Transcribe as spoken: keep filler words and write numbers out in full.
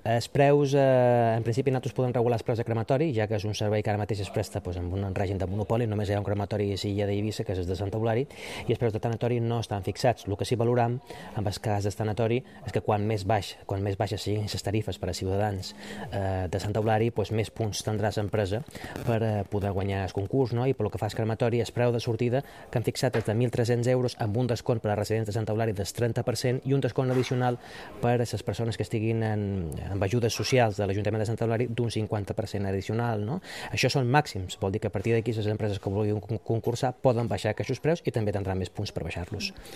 Els preus, eh, en principi, nosaltres podem regular els preus de crematori, ja que és un servei que ara mateix es presta doncs, amb un règim de monopoli, només hi ha un crematori a Silla d'Eivissa, que és de Santa Eulària, i els preus de tanatori no estan fixats. El que sí valoram, en el cas del tanatori, és que quan més baix, quan més baixes siguin les tarifes per a ciutadans eh, de Santa Eulària, doncs més punts tindràs l'empresa per eh, poder guanyar el concurs, no? I pel que fa al crematori, el preu de sortida que han fixat és de mil tres-cents euros amb un descompte per a residents de Santa Eulària del trenta per cent i un descompte addicional per a les persones que estiguin en, amb ajudes socials de l'Ajuntament de Santa Eulària d'un cinquanta per cent addicional. No? Això són màxims, vol dir que a partir d'aquí les empreses que vulguin concursar poden baixar aquests preus i també tindran més punts per baixar-los.